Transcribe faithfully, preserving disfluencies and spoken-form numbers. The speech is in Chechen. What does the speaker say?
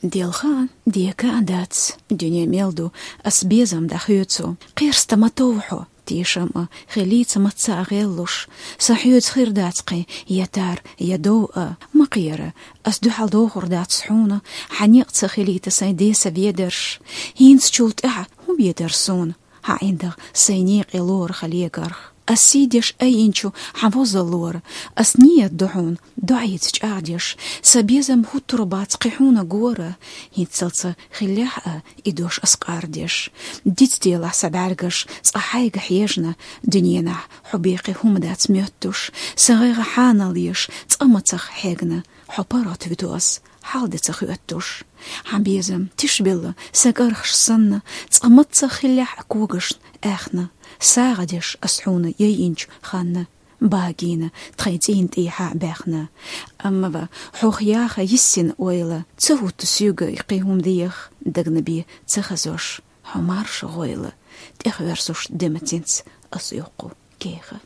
Делха а, дека а дац, дуьне мел ду, ас безам дӀахоьцу. Кхерста ма тов хьо, тешам а, хилийца мацца а гӀеллуш. Сан хьоьца хир дац кхин я тар, я дов а. Ма кхера, ас дуьхьал дохур дац хьуна, хьан некъ ца хилийта сайн деса ведарш. ХӀинцачул тӀаьхьа хӀун бе дара суна? Хьан ӀиндагӀ сайн некъе лорах легарх. Ас сий деш айинчу хьан возаллора, ас нийят ду хьуна, доӀица чӀагӀдеш, сан безам хӀуттур бац кхин хьуна гора, хӀинццалца хиллехь а, и дош ас къардеш. Дицделахь сан бӀаьргаш, цкъа хьайга хьежна, дуьненахь хьо бен кхин хӀума дац моьттуш, сан гӀайгӀа хьанал еш, цкъа мацах хьегна, хьо паргӀат вуьту ас, хьал де ца хоьттуш. Хьан безам тишбелла, сан кӀархаш санна, цкъа мацах хиллехь а когашна аьхна, сагӀа деш ас хьуна яйинчу ханна, багийна тхайн цӀийнан тӀехьа баьхна. Амма ва хьох яха йиссина ойла, ца хӀутту соьга и кхин хӀума деха, дагна бен ца хазош, хьо марша гӀойла, тӀехвоьрзуш де мацинца ас йоккху кеха.